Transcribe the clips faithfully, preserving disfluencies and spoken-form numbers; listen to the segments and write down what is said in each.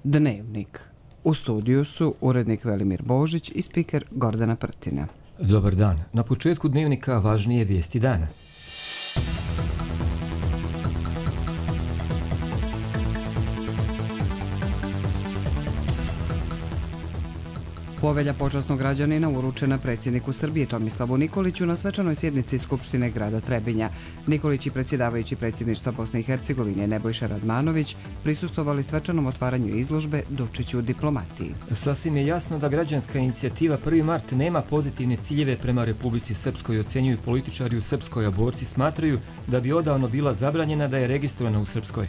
Dnevnik. U studiju su urednik Velimir Božić i spiker Gordana Prtina. Dobar dan. Na početku dnevnika važnije vijesti dana. Povelja počasnog građanina uručena predsjedniku Srbije Tomislavu Nikoliću na svečanoj sjednici Skupštine grada Trebinja. Nikolić i predsjedavajući predsjedništva Bosne i Hercegovine Nebojša Radmanović prisustvovali svečanom otvaranju izložbe Dučić u diplomatiji. Sasvim je jasno da građanska inicijativa prvi mart nema pozitivne ciljeve prema Republici Srpskoj, ocenjuju političari u Srpskoj, a borci smatraju da bi odavno bila zabranjena da je registrovana u Srpskoj.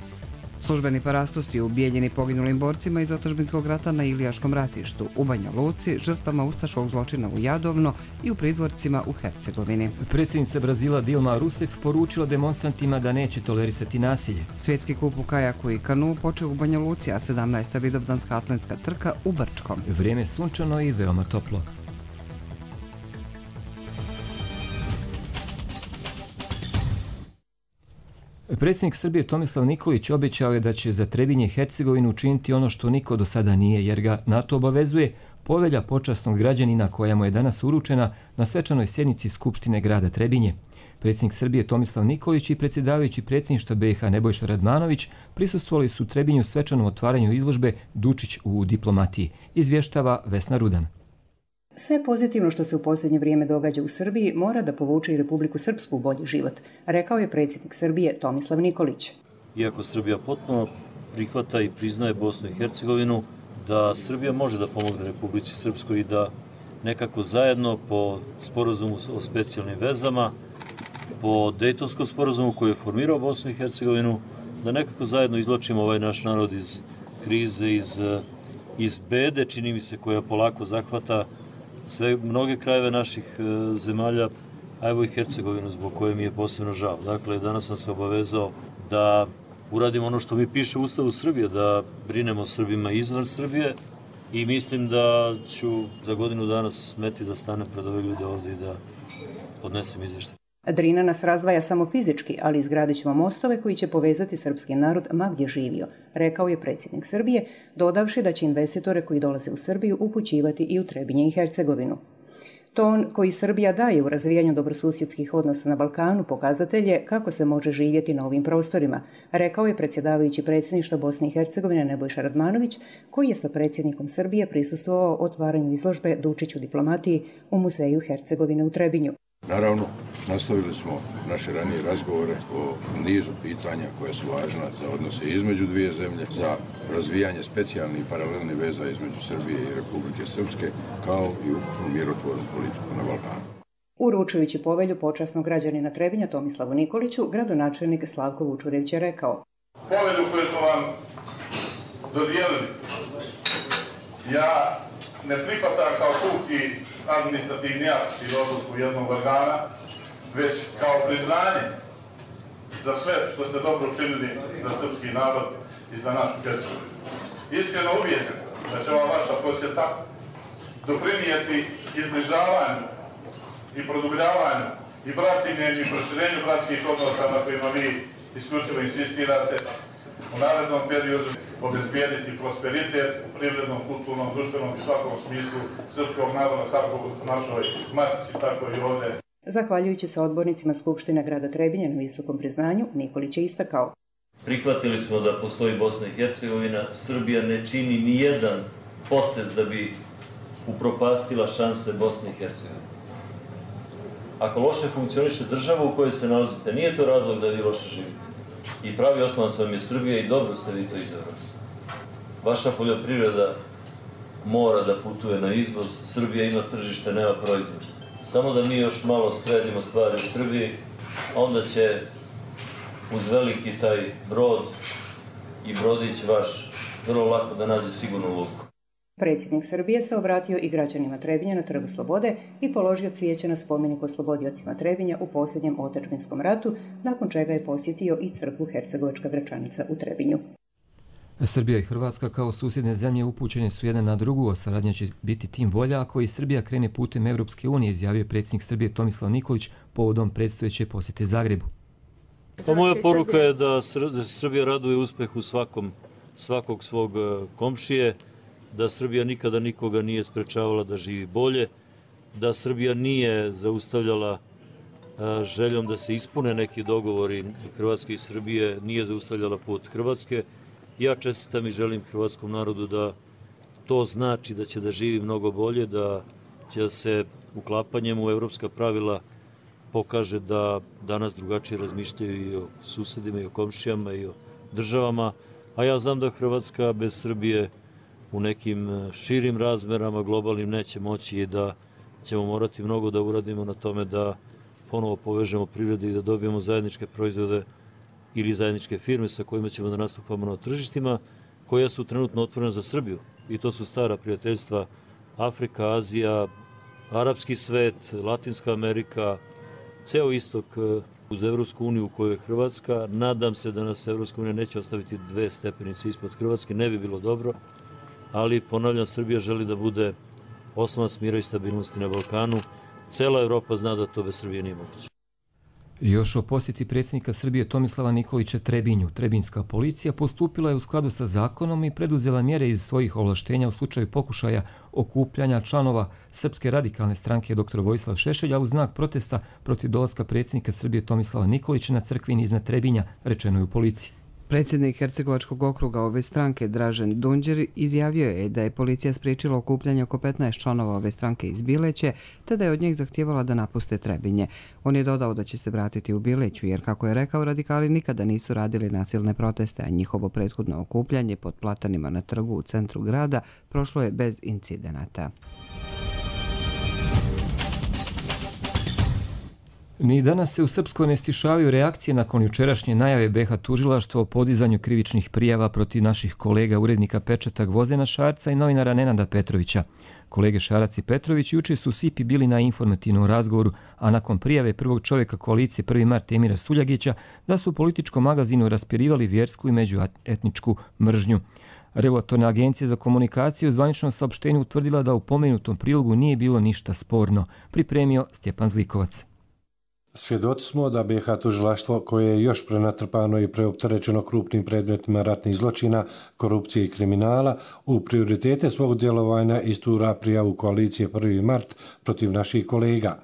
Službeni parastos je ubijeljeni poginulim borcima iz otadžbinskog rata na Ilijaškom ratištu, u Banja Luci, žrtvama ustaškog zločina u Jadovno i u pridvorcima u Hercegovini. Predsjednica Brazila Dilma Rousseff poručila demonstrantima da neće tolerisati nasilje. Svjetski kup u kajaku i kanu počeo u Banja Luci, a sedamnaesta vidovdanska atletska trka u Brčkom. Vrijeme sunčano i veoma toplo. Predsjednik Srbije Tomislav Nikolić obećao je da će za Trebinje i Hercegovinu učiniti ono što niko do sada nije, jer ga na to obavezuje povelja počasnog građanina koja mu je danas uručena na svečanoj sjednici Skupštine grada Trebinje. Predsjednik Srbije Tomislav Nikolić i predsjedavajući predsjedništva B i H Nebojša Radmanović prisustvovali su u Trebinju svečanom otvaranju izložbe Dučić u diplomatiji, izvještava Vesna Rudan. Sve pozitivno što se u posljednje vrijeme događa u Srbiji mora da povuče i Republiku Srpsku u bolji život, rekao je predsjednik Srbije Tomislav Nikolić. Iako Srbija potpuno prihvata i priznaje Bosnu i Hercegovinu, da Srbija može da pomogne Republici Srpskoj i da nekako zajedno po sporazumu o specijalnim vezama, po Dejtonskom sporazumu koji je formirao Bosnu i Hercegovinu, da nekako zajedno izločimo ovaj naš narod iz krize, iz, iz bede, čini mi se, koja polako zahvata sve mnoge krajeve naših e, zemalja, a evo i Hercegovinu, zbog koje mi je posebno žao. Dakle, danas sam se obavezao da uradimo ono što mi piše u Ustavu Srbije, da brinemo o Srbima izvan Srbije i mislim da ću za godinu dana smeti da stanem pred ove ljude ovdje i da podnesem izvještaj. Drina nas razdvaja samo fizički, ali izgradit ćemo mostove koji će povezati srpski narod ma gdje živio, rekao je predsjednik Srbije, dodavši da će investitore koji dolaze u Srbiju upućivati i u Trebinje i Hercegovinu. Ton koji Srbija daje u razvijanju dobrosusjedskih odnosa na Balkanu pokazatelj je kako se može živjeti na ovim prostorima, rekao je predsjedavajući predsjedništva Bosne i Hercegovine Nebojša Radmanović, koji je sa predsjednikom Srbije prisustvovao otvaranju izložbe Dučić u diplomatiji u Muzeju Hercegovine u Trebinju. Naravno, nastavili smo naše ranije razgovore o nizu pitanja koja su važna za odnose između dvije zemlje, za razvijanje specijalnih i paralelnih veza između Srbije i Republike Srpske, kao i u mirotvornu politiku na Balkanu. Uručujući povelju počasnog građanina Trebinja Tomislavu Nikoliću, gradonačelnik Slavko Vučurević je rekao: Povelju koju smo vam dodijelili, ja ne prihvatam kao puki administrativni akt ili odluku jednog organa, već kao priznanje za sve što ste dobro učinili za srpski narod i za našu Hercegovinu. Iskreno ubijeđen da će ova vaša posjeta doprinijeti izbližavanju i produbljavanju i bratimljenju i proširenju bratskih odnosa na kojima vi isključivo insistirate, u narednom periodu obezbijediti prosperitet u privrednom, kulturnom, društvenom i svakom smislu srpskog naroda, kako u našoj matici, tako i ovdje. Zahvaljujući se odbornicima Skupštine grada Trebinja na visokom priznanju, Nikolić je istakao: Prihvatili smo da postoji Bosna i Hercegovina, Srbija ne čini ni jedan potez da bi upropastila šanse Bosne i Hercegovine. Ako loše funkcioniše država u kojoj se nalazite, nije to razlog da vi loše živite. I pravi osnovac vam je Srbija i dobro ste vi to izabrali. Vaša poljoprivreda mora da putuje na izvoz, Srbija ima tržište, nema proizvod. Samo da mi još malo sredimo stvari u Srbiji, onda će uz veliki taj brod i brodić vaš vrlo lako da nađe sigurnu luku. Predsjednik Srbije se obratio i građanima Trebinja na Trgu Slobode i položio cvijeće na spomenik oslobodiocima Trebinja u posljednjem otadžbinskom ratu, nakon čega je posjetio i crkvu Hercegovačka Gračanica u Trebinju. Srbija i Hrvatska kao susjedne zemlje upućene su jedna na drugu, a saradnja će biti tim bolja ako i Srbija krene putem Evropske unije, izjavio predsjednik Srbije Tomislav Nikolić povodom predstojeće posjete Zagrebu. Pa moja poruka je da Srbija raduje uspeh u svakom svakog svog komšije, da Srbija nikada nikoga nije sprečavala da živi bolje, da Srbija nije zaustavljala željom da se ispune neki dogovori Hrvatske i Srbije, nije zaustavljala put Hrvatske. Ja čestitam i želim hrvatskom narodu da to znači da će da živi mnogo bolje, da će se uklapanjem u evropska pravila pokaže da danas drugačije razmišljaju i o susedima, i o komšijama, i o državama, a ja znam da Hrvatska bez Srbije u nekim širim razmerama, globalnim, neće moći i da ćemo morati mnogo da uradimo na tome da ponovo povežemo prirodu i da dobijemo zajedničke proizvode ili zajedničke firme sa kojima ćemo da nastupamo na tržištima, koja su trenutno otvorena za Srbiju. I to su stara prijateljstva Afrika, Azija, arapski svet, Latinska Amerika, ceo istok uz Evropsku uniju u kojoj je Hrvatska. Nadam se da nas Evropska unija neće ostaviti dve stepenice ispod Hrvatske, ne bi bilo dobro, ali ponavljam, Srbija želi da bude oslonac mira i stabilnosti na Balkanu. Cela Evropa zna da to bez Srbije nije moguće. Još o posjeti predsjednika Srbije Tomislava Nikolića Trebinju. Trebinjska policija postupila je u skladu sa zakonom i preduzela mjere iz svojih ovlaštenja u slučaju pokušaja okupljanja članova Srpske radikalne stranke dr Vojislav Šešelja u znak protesta protiv dolaska predsjednika Srbije Tomislava Nikolića na crkvini iznad Trebinja, rečeno je u policiji. Predsjednik Hercegovačkog okruga ove stranke, Dražen Dunđer, izjavio je da je policija spriječila okupljanje oko petnaest članova ove stranke iz Bileće, te da je od njih zahtijevala da napuste Trebinje. On je dodao da će se vratiti u Bileću, jer, kako je rekao, radikali nikada nisu radili nasilne proteste, a njihovo prethodno okupljanje pod platanima na trgu u centru grada prošlo je bez incidenata. Ni danas se u Srpskoj ne stišavaju reakcije nakon jučerašnje najave B iH tužilaštva o podizanju krivičnih prijava protiv naših kolega urednika Pečata Gvozdena Šarca i novinara Nenada Petrovića. Kolege Šarac i Petrović juče su u Sipi bili na informativnom razgovoru, a nakon prijave prvog čovjeka koalicije prvi mart Emira Suljagića da su u političkom magazinu raspirivali vjersku i međuetničku mržnju. Regulatorna agencija za komunikaciju u zvaničnom saopštenju utvrdila da u pomenutom prilogu nije bilo ništa sporno, pripremio Stjepan Zlikovac. Svjedoci smo da B iH tužilaštvo, koje je još prenatrpano i preopterećeno krupnim predmetima ratnih zločina, korupcije i kriminala, u prioritete svog djelovanja istura prijavu koalicije prvi mart protiv naših kolega.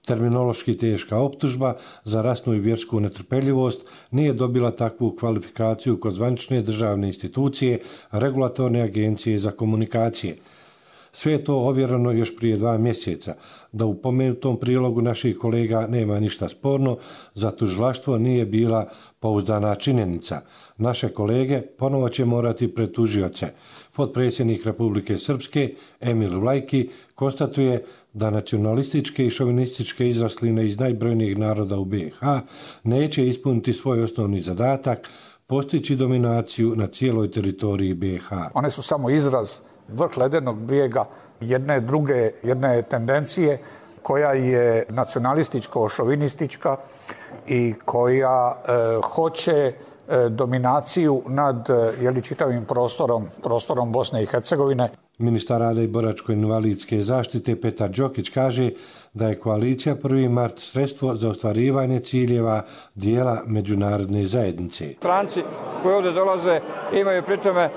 Terminološki teška optužba za rasnu i vjersku netrpeljivost nije dobila takvu kvalifikaciju kod zvanične državne institucije, regulatorne agencije za komunikacije. Sve je to ovjereno još prije dva mjeseca. Da u pomenutom prilogu naših kolega nema ništa sporno, za tužilaštvo nije bila pouzdana činjenica. Naše kolege ponovo će morati pred tužioce. Potpredsjednik Republike Srpske, Emil Vlajki, konstatuje da nacionalističke i šovinističke izrasline iz najbrojnijih naroda u B iH neće ispuniti svoj osnovni zadatak, postići dominaciju na cijeloj teritoriji B iH. One su samo izraz, vrh ledenog brijega jedne druge, jedne tendencije koja je nacionalističko-šovinistička i koja e, hoće e, dominaciju nad jeli, čitavim prostorom, prostorom Bosne i Hercegovine. Ministar rada i boračko-invalidske zaštite Petar Đokić kaže da je koalicija prvi mart sredstvo za ostvarivanje ciljeva dijela međunarodne zajednice. Stranci koji ovdje dolaze imaju pritome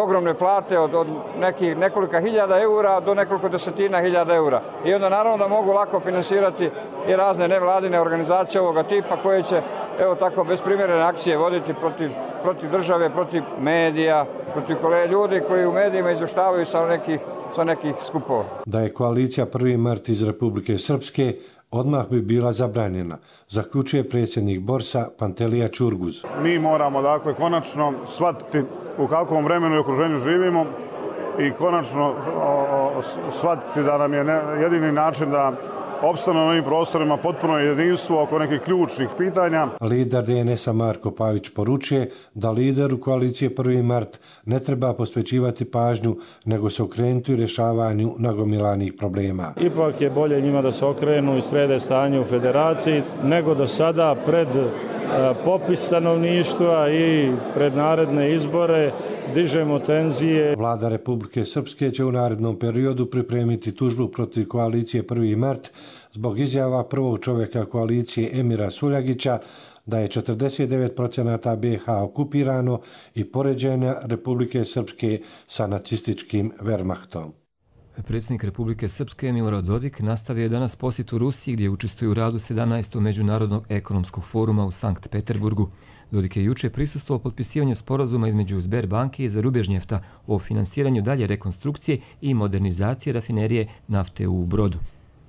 ogromne plate od, od nekih, nekolika hiljada eura do nekoliko desetina hiljada eura. I onda naravno da mogu lako finansirati i razne nevladine organizacije ovoga tipa koje će evo tako besprimjerene akcije voditi protiv, protiv države, protiv medija, protiv kolega ljudi koji u medijima izvještavaju sa nekih, sa nekih skupova. Da je koalicija prvi mart iz Republike Srpske odmah bi bila zabranjena, zaključuje predsjednik Borsa Pantelija Čurguz. Mi moramo dakle konačno shvatiti u kakvom vremenu i okruženju živimo i konačno o, o, shvatiti da nam je ne, jedini način da opstanu na ovim prostorima potpuno jedinstvo oko nekih ključnih pitanja. Lider D N S-a Marko Pavić poručuje da lideru koalicije prvi mart ne treba posvećivati pažnju, nego se okrenuti u rješavanju nagomilanih problema. Ipak je bolje njima da se okrenu i srede stanje u federaciji, nego da sada pred popis stanovništva i pred naredne izbore dižemo tenzije. Vlada Republike Srpske će u narednom periodu pripremiti tužbu protiv koalicije prvi mart zbog izjava prvog čovjeka koalicije Emira Suljagića da je četrdeset devet procenata B i H okupirano i poređenja Republike Srpske sa nacističkim Wehrmachtom. Predsjednik Republike Srpske Milorad Dodik nastavio je danas posjetu Rusiji gdje učestvuje u radu sedamnaestog Međunarodnog ekonomskog foruma u Sankt Peterburgu. Dodik je juče prisustvovao potpisivanju sporazuma između Sberbanke i Zarubežnjefta o finansiranju dalje rekonstrukcije i modernizacije rafinerije nafte u Brodu.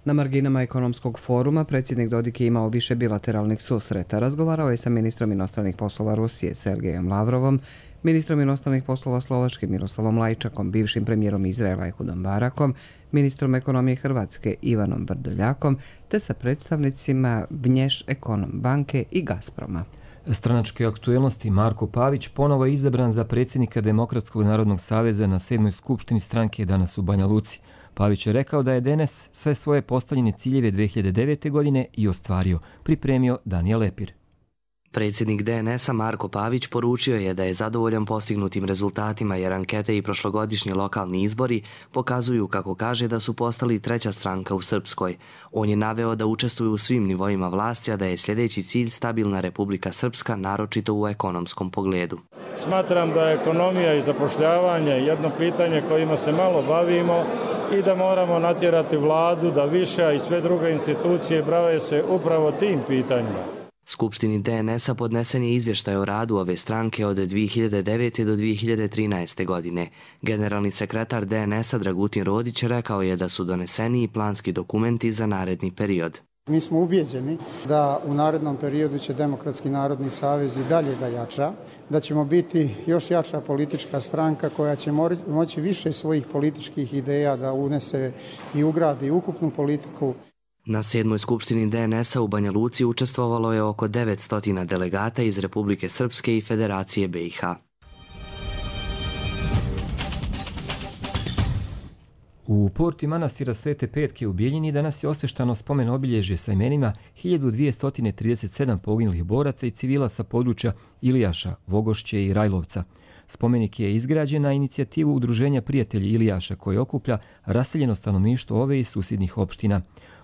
Na marginama ekonomskog foruma predsjednik Dodik je imao više bilateralnih susreta. Razgovarao je sa ministrom inostranih poslova Rusije Sergejem Lavrovom, ministrom inostranih poslova Slovačke Miroslavom Lajčakom, bivšim premijerom Izraela Ehudom Barakom, ministrom ekonomije Hrvatske Ivanom Vrdoljakom, te sa predstavnicima Vnješ Ekonom banke i Gazproma. Stranačke aktuelnosti Marko Pavić ponovo je izabran za predsjednika Demokratskog narodnog saveza na sedmoj skupštini stranke danas u Banja Luci. Pavić je rekao da je D N S sve svoje postavljene ciljeve dve hiljade devete. godine i ostvario, pripremio Danijel Lepir. Predsjednik D N S-a Marko Pavić poručio je da je zadovoljan postignutim rezultatima jer ankete i prošlogodišnji lokalni izbori pokazuju, kako kaže, da su postali treća stranka u Srpskoj. On je naveo da učestvuju u svim nivoima vlasti, a da je sljedeći cilj stabilna Republika Srpska, naročito u ekonomskom pogledu. Smatram da je ekonomija i zapošljavanje jedno pitanje kojima se malo bavimo i da moramo natjerati vladu da više i sve druge institucije bave se upravo tim pitanjima. Skupštini D N S-a podnesen je izvještaj o radu ove stranke od dvije hiljade devete. do dvije hiljade trinaeste. godine. Generalni sekretar D N S-a Dragutin Rodić rekao je da su doneseni i planski dokumenti za naredni period. Mi smo ubijeđeni da u narednom periodu će Demokratski narodni savez i dalje da jača, da ćemo biti još jača politička stranka koja će moći više svojih političkih ideja da unese i ugradi ukupnu politiku. Na sedmoj skupštini D N S-a u Banja Luci učestvovalo je oko devetsto delegata iz Republike Srpske i Federacije B i H. U porti manastira Svete Petke u Bijeljini danas je osveštano spomen obilježje sa imenima hiljadu dvjesto trideset sedam poginulih boraca i civila sa područja Ilijaša, Vogošće i Rajlovca. Spomenik je izgrađen na inicijativu Udruženja prijatelji Ilijaša koji okuplja raseljeno stanovništvo ove i susjednih opština.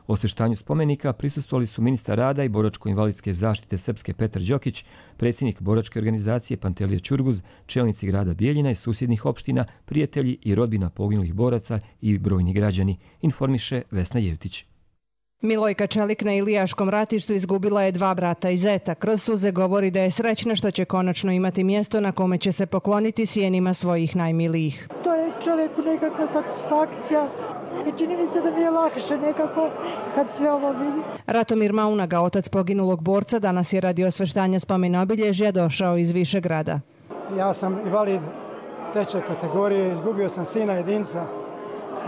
Osveštanju spomenika prisustvovali su ministar rada i boračko-invalidske zaštite Srpske Petar Đokić, predsjednik boračke organizacije Pantelija Ćurguz, čelnici grada Bijeljina i susjednih opština, prijatelji i rodbina poginulih boraca i brojni građani, informiše Vesna Jevtić. Milojka Čelik na Ilijaškom ratištu izgubila je dva brata i zeta. Kroz suze govori da je srećna što će konačno imati mjesto na kome će se pokloniti sjenima svojih najmilijih. To je čovjeku nekakva satisfakcija i čini mi se da mi je lakše nekako kad sve ovo vidi. Ratomir Maunaga, otac poginulog borca, danas je radi osveštanja spomena obilježja došao iz Višegrada. Ja sam invalid treće kategorije, izgubio sam sina jedinca,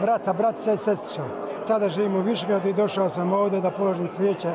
brata, bratića i sestrića. Sada živim u Višegradu i došao sam ovdje da položim cvijeće,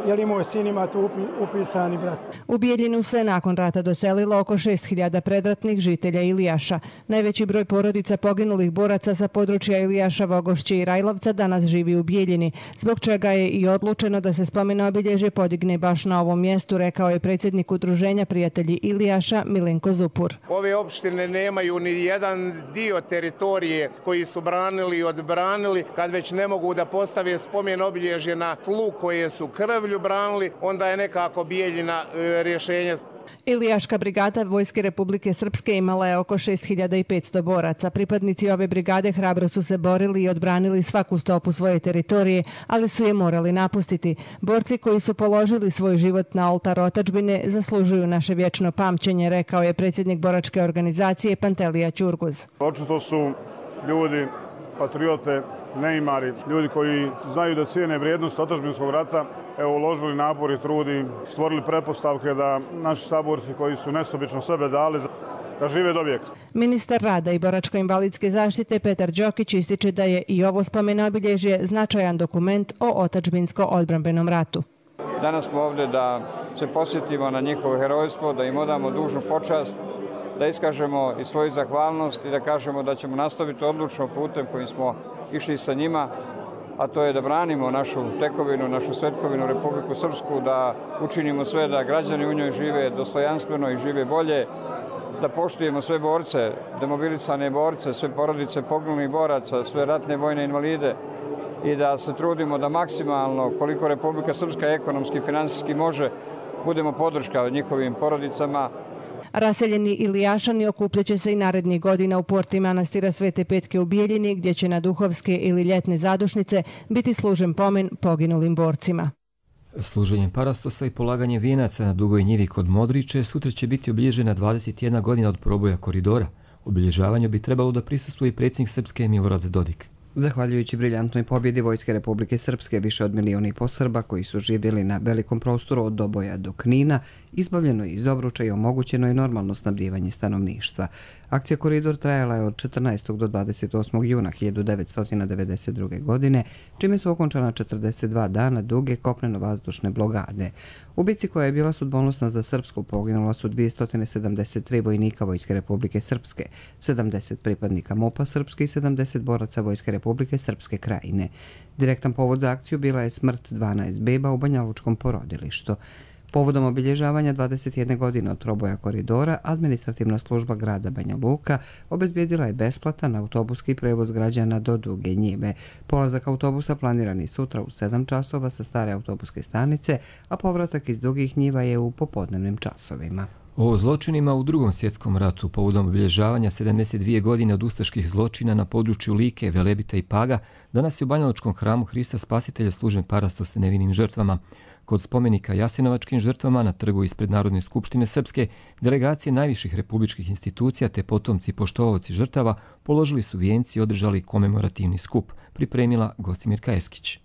jer i moj sin ima tu upisani brat. U Bijeljinu se nakon rata doselilo oko šest hiljada predratnih žitelja Ilijaša. Najveći broj porodica poginulih boraca sa područja Ilijaša, Vogošće i Rajlovca danas živi u Bijeljini, zbog čega je i odlučeno da se spomen obilježje podigne baš na ovom mjestu, rekao je predsjednik Udruženja prijatelji Ilijaša Milenko Zupur. Ove opštine nemaju ni jedan dio teritorije koji su branili i odbranili. Kad već ne mogu da postave spomen obilježje na tlu koje su krvlju branili, onda je nekako Bijeljina e, rješenje. Ilijaška brigada Vojske Republike Srpske imala je oko šest hiljada petsto boraca. Pripadnici ove brigade hrabro su se borili i odbranili svaku stopu svoje teritorije, ali su je morali napustiti. Borci koji su položili svoj život na oltar otadžbine zaslužuju naše vječno pamćenje, rekao je predsjednik boračke organizacije Pantelija Ćurguz. Očito su ljudi, patriote, neimari, ljudi koji znaju da cijene vrijednost otadžbinskog rata, evo, uložili napor i trudi, stvorili pretpostavke da naši saborci koji su nesobično sebe dali da žive do vijeka. Ministar rada i boračko-invalidske zaštite Petar Đokić ističe da je i ovo spomen obilježje značajan dokument o otadžbinsko-odbrambenom ratu. Danas smo ovdje da se posjetimo na njihovo herojstvo, da im odamo dužnu počast, da iskažemo i svoju zahvalnost i da kažemo da ćemo nastaviti odlučno putem kojim smo išli sa njima, a to je da branimo našu tekovinu, našu svetkovinu Republiku Srpsku, da učinimo sve da građani u njoj žive dostojanstveno i žive bolje, da poštujemo sve borce, demobilisane borce, sve porodice poginulih boraca, sve ratne vojne invalide i da se trudimo da maksimalno, koliko Republika Srpska ekonomski i finansijski može, budemo podrška njihovim porodicama. Raseljeni Ilijašani okupljaće se i narednih godina u porti manastira Svete Petke u Bijeljini, gdje će na duhovske ili ljetne zadušnice biti služen pomen poginulim borcima. Služenjem parastosa i polaganje vijenaca na Dugoj njivi kod Modriče sutra će biti obilježena dvadeset jedna godina od proboja koridora. Obilježavanju bi trebalo da prisustvuje i predsjednik Srpske Milorad Dodik. Zahvaljujući briljantnoj pobjedi Vojske Republike Srpske, više od milijuna i po Srba koji su živjeli na velikom prostoru od Doboja do Knina, izbavljeno je iz obruča i omogućeno je normalno snabdijevanje stanovništva. Akcija Koridor trajala je od četrnaestog do dvadeset osmog juna hiljadu devetsto devedeset druge. godine, čime su okončana četrdeset dva dana duge kopneno-vazdušne blokade. U bici koja je bila sudbonosna za Srpsku poginula su dvjesto sedamdeset tri vojnika Vojske Republike Srpske, sedamdeset pripadnika MUP-a Srpske i sedamdeset boraca Vojske Republike Srpske Krajine. Direktan povod za akciju bila je smrt dvanaest beba u Banjalučkom porodilištu. Povodom obilježavanja dvadeset jedne godine od proboja koridora, administrativna služba grada Banja Luka obezbijedila je besplatan autobuski prevoz građana do Duge njive. Polazak autobusa planiran je sutra u sedam časova sa stare autobuske stanice, a povratak iz Dugih njiva je u popodnevnim časovima. O zločinima u Drugom svjetskom ratu povodom obilježavanja sedamdeset dvije godine od ustaških zločina na području Like, Velebita i Paga danas je u Banjalučkom hramu Hrista Spasitelja služen parastos nevinim žrtvama. Kod spomenika Jasenovačkim žrtvama na trgu ispred Narodne skupštine Srpske, delegacije najviših republičkih institucija te potomci poštovaoci žrtava položili su vijenci i održali komemorativni skup, pripremila Gostimirka Eskić.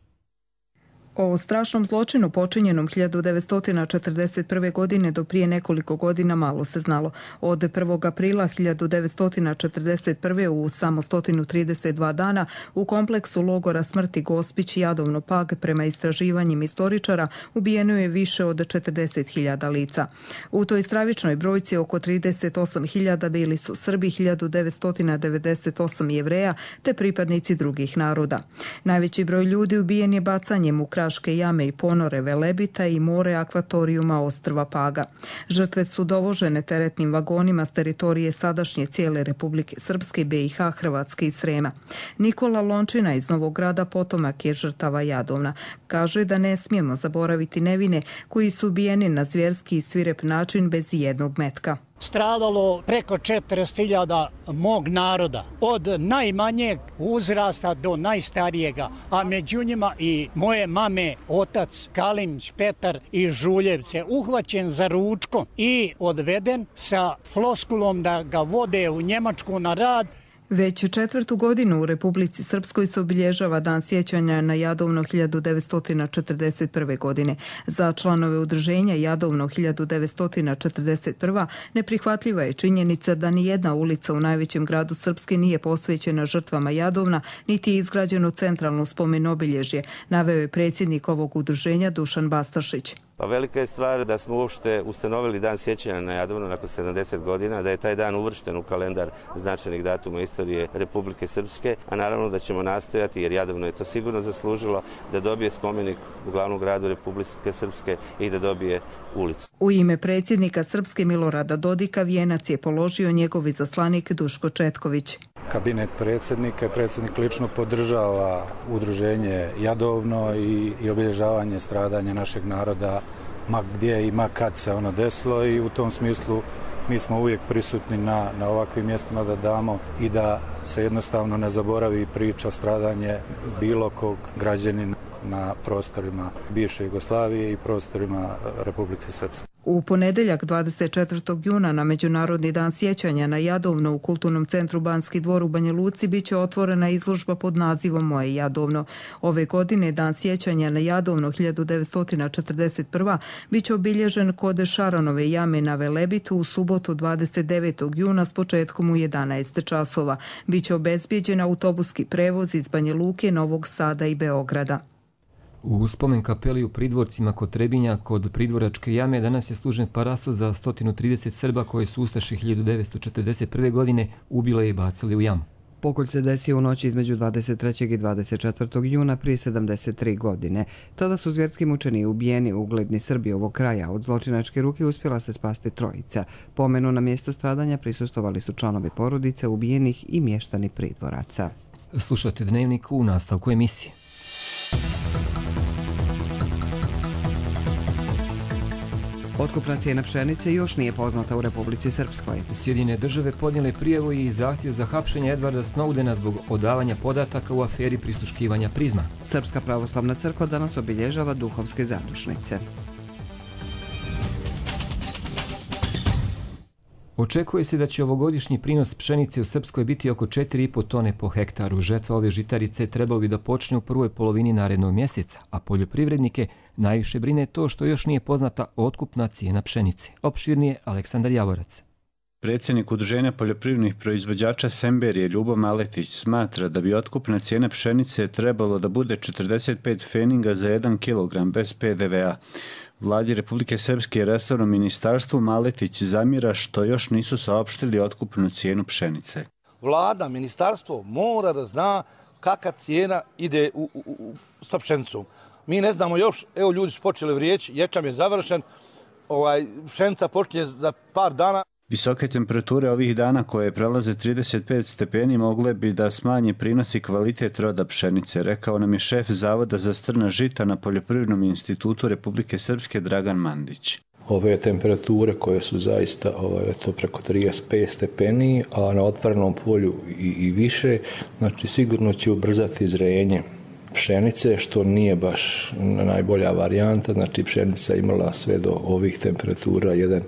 O strašnom zločinu počinjenom hiljadu devetsto četrdeset prve. godine do prije nekoliko godina malo se znalo. Od prvog aprila hiljadu devetsto četrdeset prve. u samo sto trideset dva dana u kompleksu logora smrti Gospić i Jadovno Pag prema istraživanjima istoričara ubijeno je više od četrdeset hiljada lica. U toj stravičnoj brojci oko trideset osam hiljada bili su Srbi, hiljadu devetsto devedeset osam Jevreja te pripadnici drugih naroda. Najveći broj ljudi ubijen je bacanjem u Kraške jame i ponore Velebita i more akvatorijuma ostrva Paga. Žrtve su dovožene teretnim vagonima s teritorije sadašnje cijele Republike Srpske, B i H, Hrvatske i Srema. Nikola Lončina iz Novog Grada potomak je žrtava Jadovna. Kaže da ne smijemo zaboraviti nevine koji su ubijeni na zvjerski i svirep način bez jednog metka. Stradalo preko četrdeset hiljada mog naroda, od najmanjeg uzrasta do najstarijega, a među njima i moje mame, otac Kalinić Petar iz Žuljevce, uhvaćen za ručkom i odveden sa floskulom da ga vode u Njemačku na rad. Već četvrtu godinu u Republici Srpskoj se obilježava Dan sjećanja na Jadovno hiljadu devetsto četrdeset prve. godine. Za članove udruženja Jadovno hiljadu devetsto četrdeset prve. neprihvatljiva je činjenica da ni jedna ulica u najvećem gradu Srpske nije posvećena žrtvama Jadovna, niti je izgrađeno centralno spomen obilježje, naveo je predsjednik ovog udruženja Dušan Bastašić. Pa velika je stvar da smo uopšte ustanovili Dan sjećanja na Jadovno nakon sedamdeset godina, da je taj dan uvršten u kalendar značajnih datuma istorije Republike Srpske, a naravno da ćemo nastojati, jer Jadovno je to sigurno zaslužilo, da dobije spomenik u glavnom gradu Republike Srpske i da dobije ulicu. U ime predsjednika Srpske Milorada Dodika vijenac je položio njegov izaslanik Duško Četković. Kabinet predsjednika i predsjednik lično podržava udruženje Jadovno i, i obilježavanje stradanja našeg naroda ma gdje i ma kad se ono desilo, i u tom smislu mi smo uvijek prisutni na, na ovakvim mjestima da damo i da se jednostavno ne zaboravi priča stradanje bilo kog građanina na prostorima bivše Jugoslavije i prostorima Republike Srpske. U ponedeljak dvadeset četvrtog juna na Međunarodni dan sjećanja na Jadovno u Kulturnom centru Banski dvor u Banja Luci biće otvorena izložba pod nazivom Moje Jadovno. Ove godine Dan sjećanja na Jadovno hiljadu devetsto četrdeset prve. biće obilježen kod Šaronove jame na Velebitu u subotu dvadeset devetog juna s početkom u jedanaest časova. Biće obezbijeđen autobuski prevoz iz Banja Luke, Novog Sada i Beograda. U spomen kapeli u Pridvorcima kod Trebinja, kod Pridvoračke jame, danas je služen parastos za sto trideset Srba koje su ustaše hiljadu devetsto četrdeset prve. godine ubile i bacili u jamu. Pokolj se desio u noći između dvadeset trećeg i dvadeset četvrtog juna prije sedamdeset tri godine. Tada su zvjerski mučeni ubijeni ugledni Srbi ovog kraja. Od zločinačke ruke uspjela se spasti trojica. Pomenu na mjestu stradanja prisustovali su članovi porodice ubijenih i mještani Pridvoraca. Slušate Dnevnik u nastavku emisije. Otkupna cijena pšenice još nije poznata u Republici Srpskoj. Sjedinjene države podnijele prijavu i zahtjev za hapšenje Edvarda Snowdena zbog odavanja podataka u aferi prisluškivanja Prizma. Srpska pravoslavna crkva danas obilježava duhovske zadušnice. Očekuje se da će ovogodišnji prinos pšenice u Srpskoj biti oko četiri i po tone po hektaru. Žetva ove žitarice trebalo bi da počne u prvoj polovini narednog mjeseca, a poljoprivrednike najviše brine to što još nije poznata otkupna cijena pšenice. Opširnije Aleksandar Javorac. Predsjednik Udruženja poljoprivrednih proizvođača Semberije Ljubo Maletić smatra da bi otkupna cijena pšenice trebalo da bude četrdeset pet feninga za jedan kilogram bez pe de ve a. Vladi Republike Srpske i resornom ministarstvu Maletić zamjera što još nisu saopštili otkupnu cijenu pšenice. Vlada, ministarstvo mora da zna kakva cijena ide u, u, u, sa pšenicom. Mi ne znamo još, evo ljudi su počeli vrijeći, ječam je završen, ovaj, pšenica počinje za par dana. Visoke temperature ovih dana koje prelaze trideset pet stepeni mogle bi da smanje prinos i kvalitet roda pšenice, rekao nam je šef Zavoda za strna žita na Poljoprivrednom institutu Republike Srpske Dragan Mandić. Ove temperature koje su zaista ovaj, to preko trideset pet stepeni, a na otvorenom polju i, i više, znači sigurno će ubrzati zrenje pšenice, što nije baš najbolja varijanta, znači pšenica imala sve do ovih temperatura jedan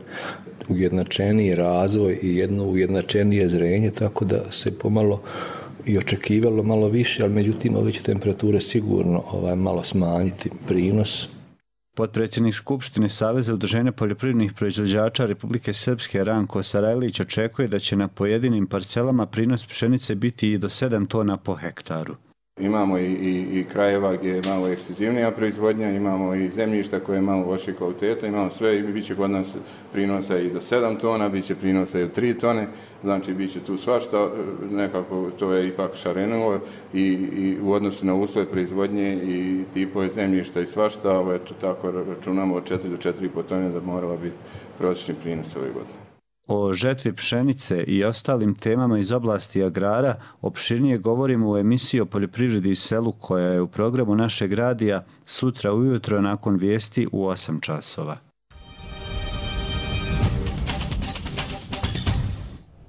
ujednačeniji razvoj i jedno ujednačenije zrenje, tako da se pomalo i očekivalo malo više, ali međutim ove će temperature sigurno ovaj, malo smanjiti prinos. Potpredsjednik Skupštine Saveza udruženja poljoprivrednih proizvođača Republike Srpske Ranko Sarajlić očekuje da će na pojedinim parcelama prinos pšenice biti i do sedam tona po hektaru. Imamo i, i, i krajeva gdje je malo ekstenzivnija proizvodnja, imamo i zemljišta koje je malo lošije kvaliteta, imamo sve i bit će kod nas prinosa i do sedam tona, bit će prinosa i do tri tone, znači bit će tu svašta, nekako to je ipak šarenulo i, i u odnosu na uslove proizvodnje i tipove zemljišta i svašta, ali eto tako računamo od četiri do četiri i po tone da morala biti prosječni prinos ove godine. O žetvi pšenice i ostalim temama iz oblasti agrara opširnije govorimo u emisiji o poljoprivredi i selu koja je u programu našeg radija sutra ujutro nakon vijesti u osam časova.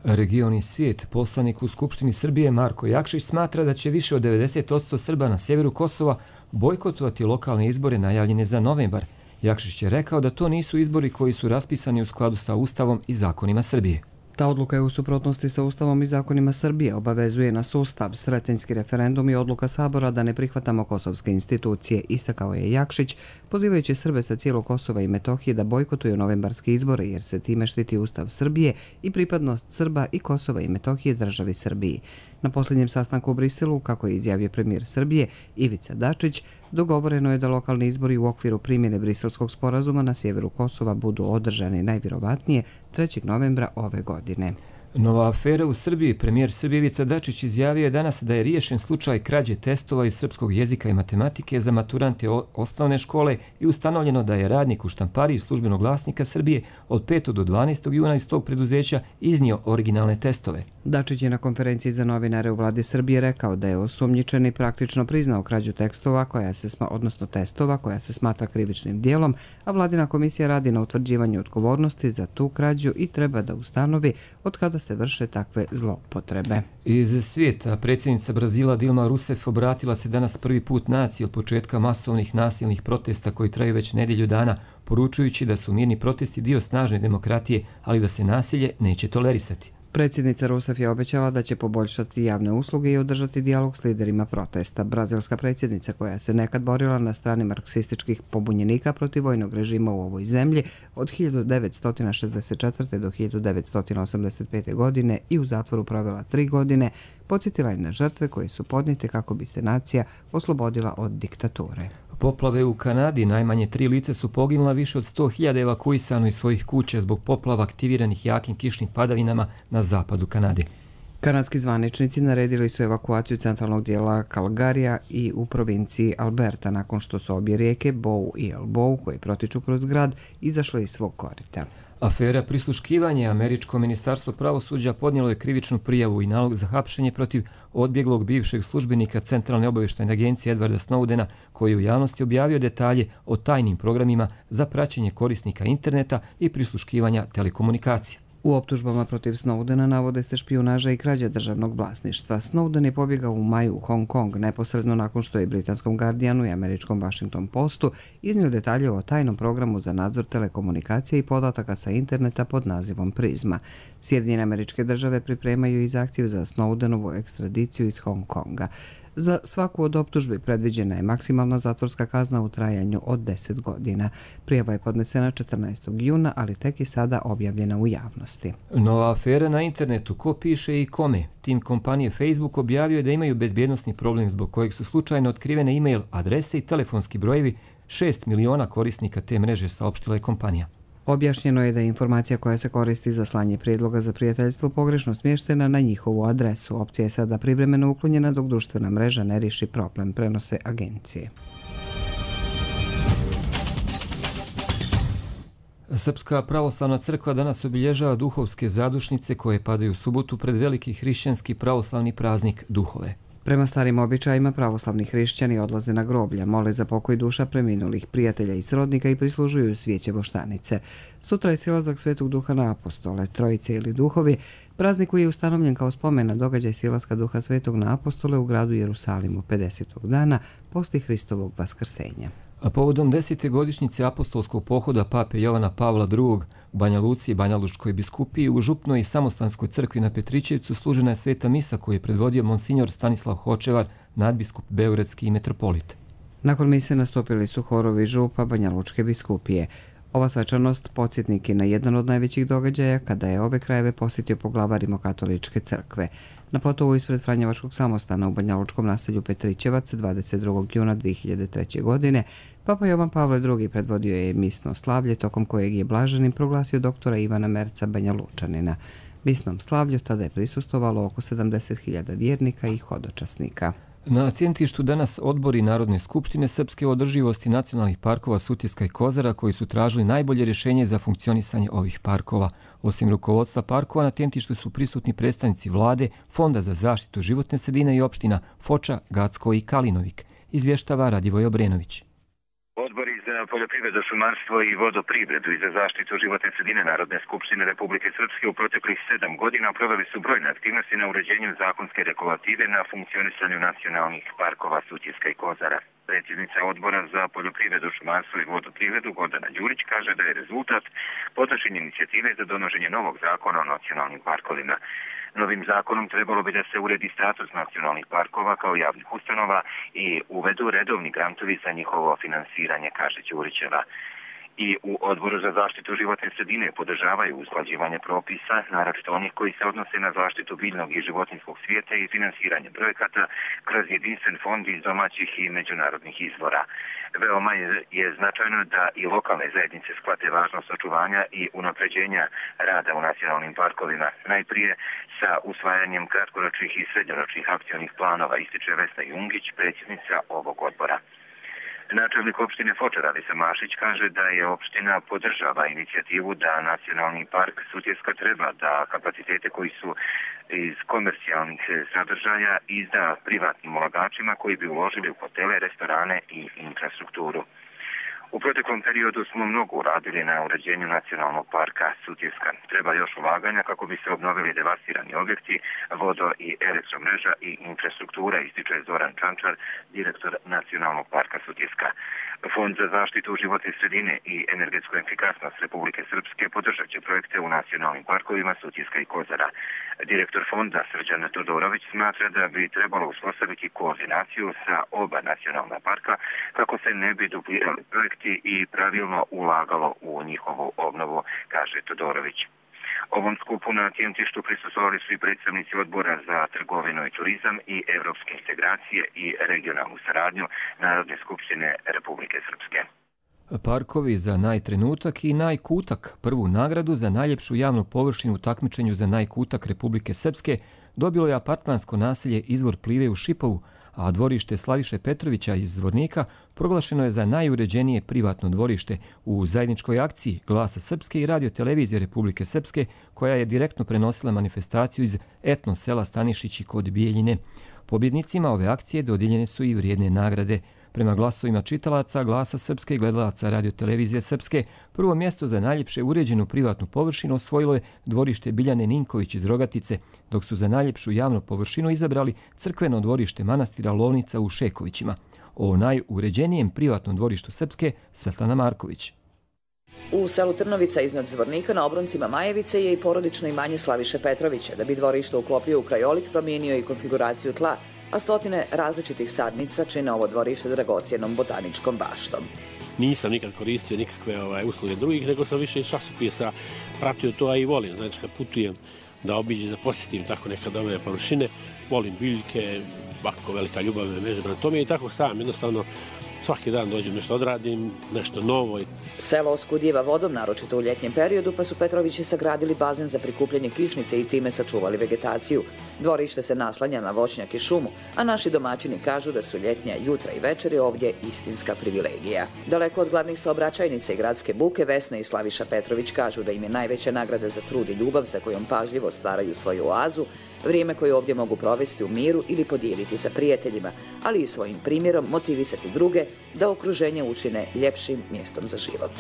Region i svijet, poslanik u Skupštini Srbije Marko Jakšić smatra da će više od devedeset posto Srba na sjeveru Kosova bojkotovati lokalne izbore najavljene za novembar. Jakšić je rekao da to nisu izbori koji su raspisani u skladu sa Ustavom i zakonima Srbije. Ta odluka je u suprotnosti sa Ustavom i zakonima Srbije, obavezuje nas Ustav, Sretenjski referendum i odluka Sabora da ne prihvatamo kosovske institucije, istakao je Jakšić, pozivajući Srbe sa cijelog Kosova i Metohije da bojkotuju novembarske izbore jer se time štiti Ustav Srbije i pripadnost Srba i Kosova i Metohije državi Srbiji. Na posljednjem sastanku u Briselu, kako je izjavio premijer Srbije Ivica Dačić, dogovoreno je da lokalni izbori u okviru primjene Briselskog sporazuma na sjeveru Kosova budu održani najvjerovatnije trećeg novembra ove godine. Nova afera u Srbiji. Premijer Srbije Ivica Dačić izjavio je danas da je riješen slučaj krađe testova iz srpskog jezika i matematike za maturante osnovne škole i ustanovljeno da je radnik u štampariji službenog glasnika Srbije od petog do dvanaestog juna iz tog preduzeća iznio originalne testove. Dačić je na konferenciji za novinare u vladi Srbije rekao da je osumnjičeni praktično priznao krađu tekstova koja se sma, odnosno testova koja se smatra krivičnim dijelom, a vladina komisija radi na utvrđivanju odgovornosti za tu krađu i treba da ustanovi od kada se vrše takve zloupotrebe. Iz svijeta predsjednica Brazila Dilma Rousseff obratila se danas prvi put naciji od početka masovnih nasilnih protesta koji traju već nedjelju dana, poručujući da su mirni protesti dio snažne demokratije, ali da se nasilje neće tolerisati. Predsjednica Rousseff je obećala da će poboljšati javne usluge i održati dijalog s liderima protesta. Brazilska predsjednica, koja se nekad borila na strani marksističkih pobunjenika protiv vojnog režima u ovoj zemlji od hiljadu devetsto šezdeset četvrte. do hiljadu devetsto osamdeset pete. godine i u zatvoru provela tri godine, podsjetila je na žrtve koje su podnijete kako bi se nacija oslobodila od diktature. Poplave u Kanadi, najmanje tri lica su poginula, više od sto hiljada evakuisano iz svojih kuća zbog poplava aktiviranih jakim kišnim padavinama na zapadu Kanade. Kanadski zvaničnici naredili su evakuaciju centralnog dijela Calgaryja i u provinciji Alberta nakon što su obje rijeke Bow i Elbow, koji protiču kroz grad, izašle iz svog korita. Afera prisluškivanja. Američko ministarstvo pravosuđa podnijelo je krivičnu prijavu i nalog za hapšenje protiv odbjeglog bivšeg službenika Centralne obavještajne agencije Edwarda Snowdena, koji je u javnosti objavio detalje o tajnim programima za praćenje korisnika interneta i prisluškivanja telekomunikacija. U optužbama protiv Snowdena navode se špijunaža i krađa državnog vlasništva. Snowden je pobjegao u maju u Hong Kong neposredno nakon što je britanskom Guardianu i američkom Washington Postu iznio detalje o tajnom programu za nadzor telekomunikacije i podataka sa interneta pod nazivom Prizma. Sjedinjene Američke Države pripremaju i zahtjev za Snowdenovu ekstradiciju iz Hong Konga. Za svaku od optužbi predviđena je maksimalna zatvorska kazna u trajanju od deset godina. Prijava je podnesena četrnaestog juna, ali tek je sada objavljena u javnosti. Nova afera na internetu. Ko piše i kome? Tim kompanije Facebook objavio je da imaju bezbjednosni problem zbog kojeg su slučajno otkrivene e-mail adrese i telefonski brojevi šest miliona korisnika te mreže, saopštila je kompanija. Objašnjeno je da je informacija koja se koristi za slanje prijedloga za prijateljstvo pogrešno smještena na njihovu adresu. Opcija je sada privremeno uklonjena dok društvena mreža ne riješi problem, prenose agencije. Srpska pravoslavna crkva danas obilježava duhovske zadušnice koje padaju u subotu pred veliki hrišćanski pravoslavni praznik Duhove. Prema starim običajima, pravoslavni hrišćani odlaze na groblja, mole za pokoj duša preminulih prijatelja i srodnika i prislužuju svijeće voštanice. Sutra je silazak Svetog Duha na apostole, trojice ili duhovi, praznik koji je ustanovljen kao spomen na događaj silaska Duha Svetog na apostole u gradu Jerusalimu pedesetog dana poslije Hristovog vaskrsenja. A povodom desete godišnjice apostolskog pohoda pape Jovana Pavla drugog u Banja Luci i Banja Lučkoj biskupiji u Župnoj i Samostanskoj crkvi na Petrićevcu služena je sveta misa koju je predvodio monsinjor Stanislav Hočevar, nadbiskup beogradski i metropolit. Nakon mise nastupili su horovi Župa Banja Lučke biskupije. Ova svečanost podsjetnik je na jedan od najvećih događaja kada je ove krajeve posjetio poglavar Rimokatoličke crkve. Na platovu ispred Franjevačkog samostana u Banja Lučkom naselju Petrićevac dvadeset drugog juna dvije hiljade treće. godine Papa Jovan Pavle drugi predvodio je misno slavlje tokom kojeg je blaženim proglasio doktora Ivana Merca Banja Lučanina. Misnom slavlju tada je prisustvovalo oko sedamdeset hiljada vjernika i hodočasnika. Na Tjentištu danas odbori Narodne skupštine Srpske o održivosti nacionalnih parkova Sutjeska i Kozara koji su tražili najbolje rješenje za funkcionisanje ovih parkova. Osim rukovodstva parkova, na Tjentištu su prisutni predstavnici vlade, Fonda za zaštitu životne sredine i opština Foča, Gacko i Kalinovik, izvještava Radivoj Obrenović. Odbori za poljoprivredu, šumarstvo i vodoprivredu i za zaštitu životne sredine Narodne skupštine Republike Srpske u proteklih sedam godina proveli su brojne aktivnosti na uređenju zakonske regulative na funkcionisanju nacionalnih parkova Sutjeska i Kozara. Predsjednica odbora za poljoprivredu, šumarstvo i vodoprivredu Gordana Đurić kaže da je rezultat podnošenja inicijative za donošenje novog zakona o nacionalnim parkovima. Novim zakonom trebalo bi da se uredi status nacionalnih parkova kao javnih ustanova i uvedu redovni grantovi za njihovo finansiranje, kaže Đurićeva. I u Odboru za zaštitu životne sredine podržavaju usklađivanje propisa, naročito onih koji se odnose na zaštitu biljnog i životinjskog svijeta i finansiranje projekata kroz jedinstven fond iz domaćih i međunarodnih izvora. Veoma je, je značajno da i lokalne zajednice shvate važnost očuvanja i unapređenja rada u nacionalnim parkovima. Najprije sa usvajanjem kratkoročnih i srednjoročnih akcionih planova, ističe Vesna Jungić, predsjednica ovog odbora. Načelnik opštine Foča Radica Mašić kaže da je opština podržava inicijativu da nacionalni park Sutjeska treba da kapacitete koji su iz komercijalnih sadržaja izda privatnim ulagačima koji bi uložili u hotele, restorane i infrastrukturu. U proteklom periodu smo mnogo uradili na uređenju nacionalnog parka Sutjeska. Treba još ulaganja kako bi se obnovili devastirani objekti, vodo i elektromreža i infrastruktura, ističe Zoran Čančar, direktor nacionalnog parka Sutjeska. Fond za zaštitu životne sredine i energetsku efikasnost Republike Srpske podržat će projekte u nacionalnim parkovima Sutjeska i Kozara. Direktor fonda Srđan Todorović smatra da bi trebalo uspostaviti koordinaciju sa oba nacionalna parka kako se ne bi duplirali projekti i pravilno ulagalo u njihovu obnovu, kaže Todorović. Ovom skupu na Tjentištu prisustvovali su i predstavnici odbora za trgovinu i turizam i evropske integracije i regionalnu saradnju Narodne skupštine Republike Srpske. Parkovi za najtrenutak i najkutak. Prvu nagradu za najljepšu javnu površinu u takmičenju za najkutak Republike Srpske dobilo je apartmansko naselje Izvor Plive u Šipovu, a dvorište Slaviše Petrovića iz Zvornika proglašeno je za najuređenije privatno dvorište u zajedničkoj akciji Glasa Srpske i Radio televizije Republike Srpske, koja je direktno prenosila manifestaciju iz etno sela Stanišići kod Bijeljine. Pobjednicima ove akcije dodijeljene su i vrijedne nagrade. Prema glasovima čitalaca Glasa Srpske i gledalaca Radio televizije Srpske, prvo mjesto za najljepše uređenu privatnu površinu osvojilo je dvorište Biljane Ninković iz Rogatice, dok su za najljepšu javnu površinu izabrali crkveno dvorište manastira Lovnica u Šekovićima. O najuređenijem privatnom dvorištu Srpske Svetlana Marković. U selu Trnovica iznad Zvornika na obroncima Majevice je i porodično imanje Slaviše Petrovića. Da bi dvorište uklopio u krajolik, promijenio i konfiguraciju tla, a stotine različitih sadnica čine ovo dvorište dragocijenom botaničkom baštom. Nisam nikad koristio nikakve ovaj, usluge drugih, nego sam više iz časopisa pratio to, a i volim. Znači, kad putujem da obiđem, da posjetim tako nekad ove površine, volim biljke, ovako velika ljubav me veže prema tome i tako sam, jednostavno, svaki dan dođem nešto odradim, nešto novo. Selo oskudijeva vodom, naročito u ljetnjem periodu, pa su Petrovići sagradili bazen za prikupljanje kišnice i time sačuvali vegetaciju. Dvorište se naslanja na voćnjak i šumu, a naši domaćini kažu da su ljetnja jutra i večeri ovdje istinska privilegija. Daleko od glavnih saobraćajnica i gradske buke, Vesna i Slaviša Petrović kažu da im je najveća nagrada za trud i ljubav sa kojom pažljivo stvaraju svoju oazu, vrijeme koje ovdje mogu provesti u miru ili podijeliti sa prijateljima, ali i svojim primjerom motivisati druge da okruženje učine ljepšim mjestom za život.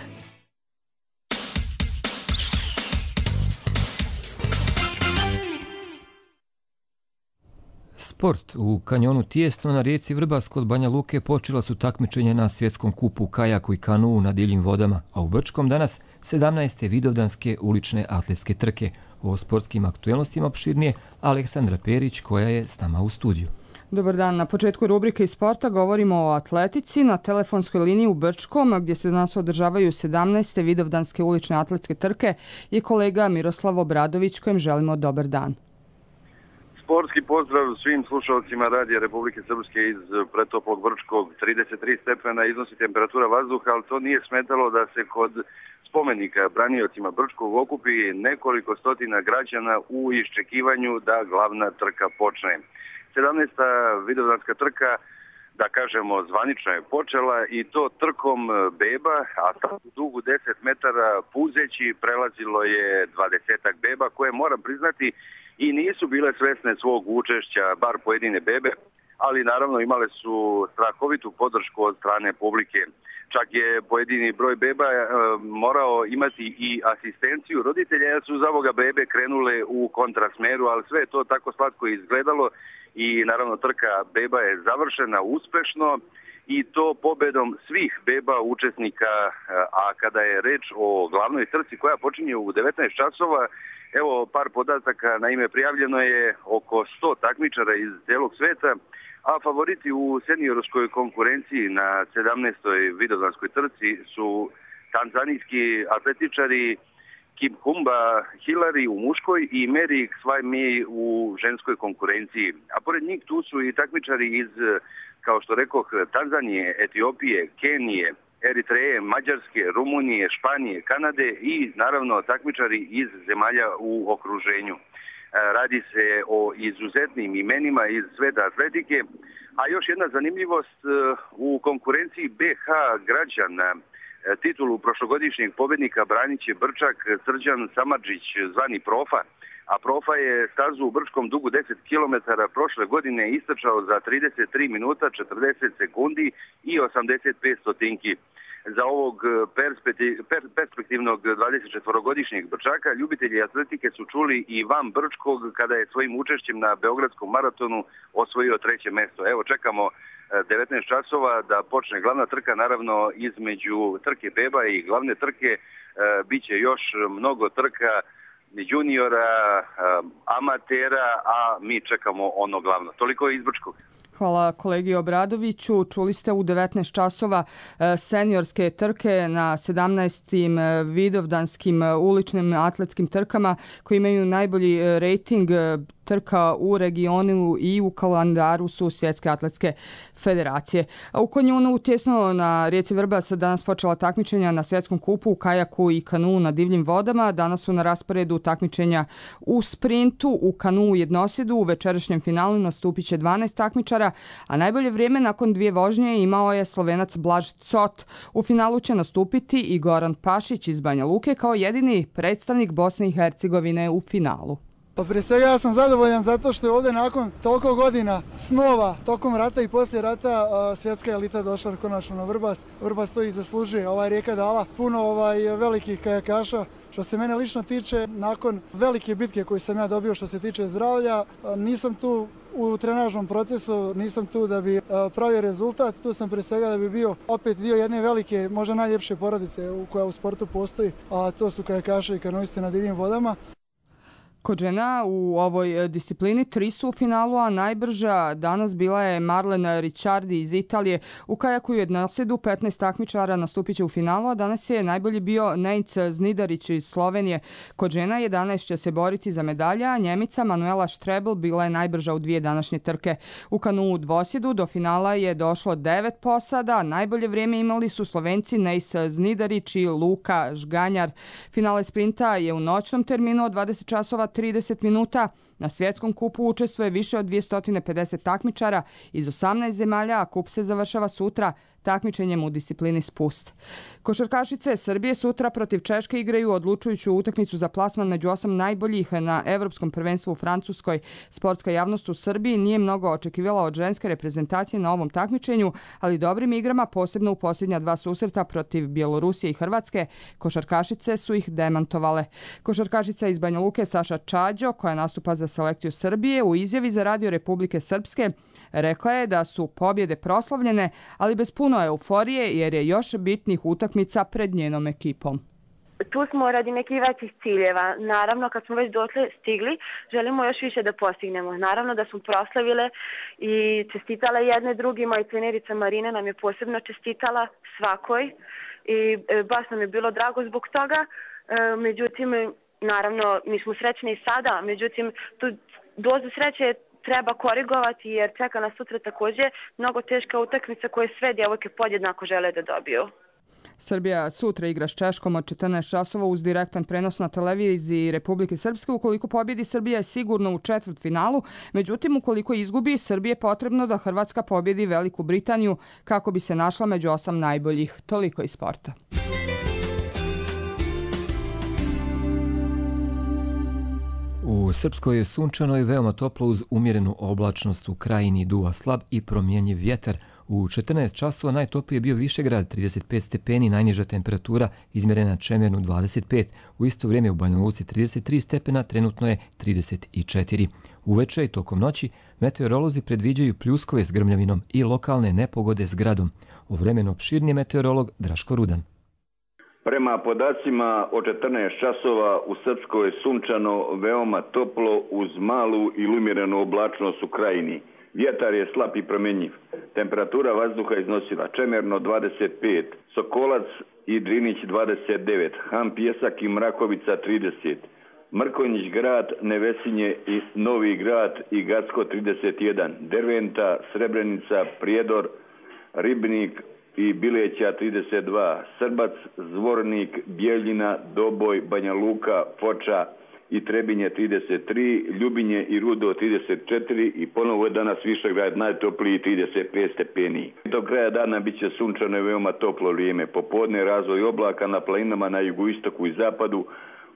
Sport. U kanjonu Tijesto na rijeci Vrbas kod Banja Luke počela su takmičenja na svjetskom kupu kajaku i kanuu na divljim vodama, a u Brčkom danas sedamnaeste vidovdanske ulične atletske trke. O sportskim aktuelnostima opširnije Aleksandra Perić, koja je s nama u studiju. Dobar dan. Na početku rubrike iz sporta govorimo o atletici. Na telefonskoj liniji u Brčkom, gdje se danas održavaju sedamnaeste vidovdanske ulične atletske trke, je kolega Miroslav Obradović, kojem želimo dobar dan. Sportski pozdrav svim slušalcima Radija Republike Srpske iz pretoplog Brčkog. trideset tri stepena iznosi temperatura vazduha, ali to nije smetalo da se kod spomenika braniocima Brčkog okupi nekoliko stotina građana u iščekivanju da glavna trka počne. sedamnaesta vidovdanska trka, da kažemo, zvanično je počela i to trkom beba, a u dugu deset metara puzeći prelazilo je dvadesetak beba koje, moram priznati, i nisu bile svesne svog učešća, bar pojedine bebe, ali naravno imale su strahovitu podršku od strane publike. Čak je pojedini broj beba e, morao imati i asistenciju roditelja, jer su za ovoga bebe krenule u kontrasmeru, ali sve je to tako slatko izgledalo i naravno trka beba je završena uspešno i to pobedom svih beba učesnika, a kada je reč o glavnoj trci koja počinje u devetnaest časova, evo par podataka. Naime, prijavljeno je oko sto takmičara iz cijelog sveta, a favoriti u seniorskoj konkurenciji na sedamnaestoj vidovdanskoj trci su tanzanijski atletičari Kiphumba Hilary u muškoj i Mary Swami u ženskoj konkurenciji. A pored njih tu su i takmičari iz, kao što rekoh, Tanzanije, Etiopije, Kenije, Eritreje, Mađarske, Rumunije, Španije, Kanade i naravno takmičari iz zemalja u okruženju. Radi se o izuzetnim imenima iz sveta atletike, a još jedna zanimljivost, u konkurenciji B H građana titulu prošlogodišnjeg pobjednika branit će Brčak Srđan Samardžić, zvani Profa, a Profa je stazu u Brčkom dugu deset kilometara prošle godine istrčao za trideset tri minuta, četrdeset sekundi i osamdeset pet stotinki. Za ovog perspektivnog dvadesetčetvorogodišnjeg Brčaka ljubitelji atletike su čuli i van Brčkog kada je svojim učešćem na Beogradskom maratonu osvojio treće mjesto. Evo, čekamo devetnaest časova da počne glavna trka, naravno između trke beba i glavne trke bit će još mnogo trka juniora, amatera, a mi čekamo ono glavno. Toliko iz Brčkog. Hvala kolegi Obradoviću. Čuli ste u devetnaest časova seniorske trke na sedamnaestim vidovdanskim uličnim atletskim trkama koji imaju najbolji rejting trka u regionu i u kalendaru su Svjetske atletske federacije. U Konjunu tjesno na rijeci Vrbas danas počela takmičenja na svjetskom kupu u kajaku i kanu na divljim vodama. Danas su na rasporedu takmičenja u sprintu, u kanu jednosjedu. U večerašnjem finalu nastupit će dvanaest takmičara, a najbolje vrijeme nakon dvije vožnje imao je Slovenac Blaž Cot. U finalu će nastupiti i Goran Pašić iz Banja Luke kao jedini predstavnik Bosne i Hercegovine u finalu. Pa prije svega ja sam zadovoljan zato što je ovdje nakon toliko godina snova tokom rata i poslije rata svjetska elita došla konačno na Vrbas. Vrbas to i zaslužuje. Ova rijeka dala puno ovaj, velikih kajakaša. Što se mene lično tiče, nakon velike bitke koju sam ja dobio što se tiče zdravlja, nisam tu u trenažnom procesu, nisam tu da bi pravio rezultat, tu sam prije svega da bi bio opet dio jedne velike, možda najljepše porodice koja u sportu postoji, a to su kajakaši i kanoisti na divljim vodama. Kod žena u ovoj disciplini tri su u finalu, a najbrža danas bila je Marlena Ricciardi iz Italije. U kajaku jednosjedu petnaest takmičara nastupit će u finalu, a danas je najbolji bio Nejc Znidarić iz Slovenije. Kod žena jedanaest će se boriti za medalja, a Njemica Manuela Štrebl bila je najbrža u dvije današnje trke. U kanu dvosjedu do finala je došlo devet posada. Najbolje vrijeme imali su Slovenci Nejc Znidarić i Luka Žganjar. Finale sprinta je u noćnom terminu od dvadeset časova trideset minuta. Na svjetskom kupu učestvuje više od dvjesto pedeset takmičara iz osamnaest zemalja, a kup se završava sutra takmičenjem u disciplini spust. Košarkašice Srbije sutra protiv Češke igraju odlučujuću utakmicu za plasman među osam najboljih na Evropskom prvenstvu u Francuskoj. Sportska javnost u Srbiji nije mnogo očekivala od ženske reprezentacije na ovom takmičenju, ali dobrim igrama, posebno u posljednja dva susreta protiv Bjelorusije i Hrvatske, košarkašice su ih demantovale. Košarkašica iz Banja Luke Saša Čađo, koja nastupa za selekciju Srbije, u izjavi za Radio Republike Srpske rekla je da su pobjede proslavljene, ali bez puno euforije jer je još bitnih utakmica pred njenom ekipom. Tu smo radi nekih većih ciljeva. Naravno, kad smo već dotle stigli, želimo još više da postignemo. Naravno da smo proslavile i čestitale jedne drugima i trenerica Marina nam je posebno čestitala svakoj i baš nam je bilo drago zbog toga. Međutim, naravno, mi smo srećni i sada, međutim, tu dozu sreće treba korigovati jer čeka nas sutra također mnogo teška utakmica koje sve djevojke podjednako žele da dobiju. Srbija sutra igra s Češkom od četrnaest časova uz direktan prenos na televiziji Republike Srpske. Ukoliko pobjedi, Srbija je sigurno u četvrtfinalu. Međutim, ukoliko izgubi, Srbije je potrebno da Hrvatska pobjedi Veliku Britaniju kako bi se našla među osam najboljih. Toliko iz sporta. U Srpskoj je sunčano i veoma toplo uz umjerenu oblačnost, u krajini duva slab i promjenjiv vjetar. U četrnaest časova najtopliji je bio Višegrad, trideset pet stepeni, najniža temperatura izmjerena Čemernu dvadeset pet. U isto vrijeme u Banja Luci trideset tri stepena, trenutno je trideset četiri. Uveče i tokom noći meteorolozi predviđaju pljuskove s grmljavinom i lokalne nepogode s gradom. O vremenu opširniji meteorolog Draško Rudan. Prema podacima o četrnaest časova u Srpskoj je sunčano, veoma toplo uz malu i umjerenu oblačnost u krajini. Vjetar je slab i promjenjiv. Temperatura vazduha iznosila Čemerno dvadeset pet, Sokolac i Drinić dvadeset devet, Han Pjesak i Mrakovica trideset, Mrkonjić grad, Nevesinje i Novi grad i Gacko trideset jedan, Derventa, Srebrenica, Prijedor, Ribnik i Bileća trideset dva, Srbac, Zvornik, Bijeljina, Doboj, Banja Luka, Foča i Trebinje trideset tri, Ljubinje i Rudo trideset četiri i ponovo je danas Višegrad najtopliji trideset pet stepeni. Do kraja dana bit će sunčano i veoma toplo vrijeme. Popodne razvoj oblaka na planinama na jugoistoku i zapadu,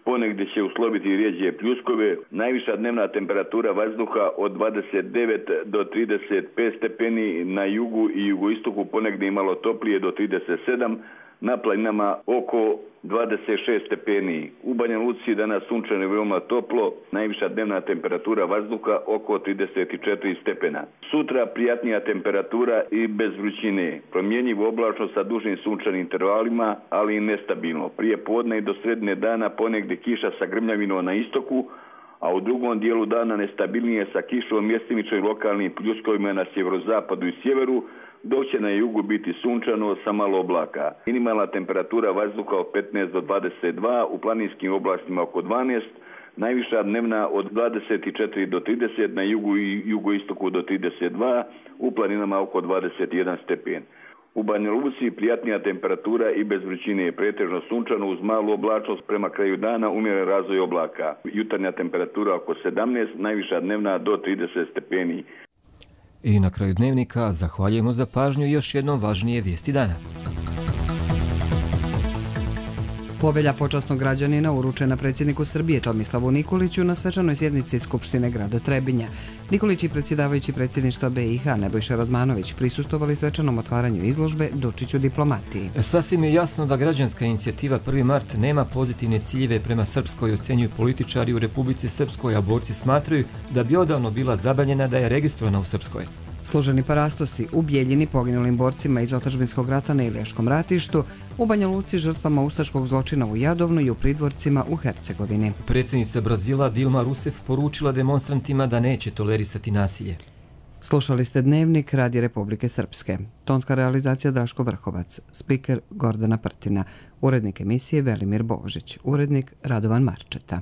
ponegdje će usloviti rijeđe pljuskove. Najviša dnevna temperatura vazduha od dvadeset devet do trideset pet stepeni, na jugu i jugoistoku ponegdje imalo toplije do trideset sedam, na planinama oko dvadeset šest stepeni. U Banja Luci danas sunčano i veoma toplo, najviša dnevna temperatura vazduha oko trideset četiri stepena. Sutra prijatnija temperatura i bez vrućine, promjenjivo oblačno sa dužim sunčanim intervalima, ali i nestabilno. Prije podne i do sredine dana ponegdje kiša sa grmljavinom na istoku, a u drugom dijelu dana nestabilnije sa kišom, mjestimično i lokalnim pljuskovima na sjeverozapadu i sjeveru, dok će na jugu biti sunčano sa malo oblaka. Minimalna temperatura vazduha od petnaest do dvadeset dva, u planinskim oblastima oko dvanaest, najviša dnevna od dvadeset četiri do trideset, na jugu i jugoistoku do trideset dva, u planinama oko dvadeset jedan stepen. U Banja Luci prijatnija temperatura i bez vrućine je pretežno sunčano uz malu oblačnost, prema kraju dana umjeren razvoj oblaka. Jutarnja temperatura oko sedamnaest, najviša dnevna do trideset stepeni. I na kraju dnevnika zahvaljujemo za pažnju i još jednom važnije vijesti dana. Povelja počasnog građanina uručena predsjedniku Srbije Tomislavu Nikoliću na svečanoj sjednici Skupštine grada Trebinja. Nikolić i predsjedavajući predsjedništva B i H Nebojša Radmanović prisustovali svečanom otvaranju izložbe Dučić u diplomatiji. Sasvim je jasno da građanska inicijativa prvi mart nema pozitivne ciljeve prema Srpskoj, ocenjuju političari u Republici Srpskoj, a borci smatraju da bi odavno bila zabranjena da je registrovana u Srpskoj. Složeni parastosi u Bijeljini poginulim borcima iz otadžbinskog rata na Ilijaškom ratištu, u Banja Luci žrtvama ustaškog zločina u Jadovnu i u Pridvorcima u Hercegovini. Predsjednica Brazila Dilma Rousseff poručila demonstrantima da neće tolerisati nasilje. Slušali ste Dnevnik Radija Republike Srpske. Tonska realizacija Draško Vrhovac, spiker Gordana Prtina, urednik emisije Velimir Božić, urednik Radovan Marčeta.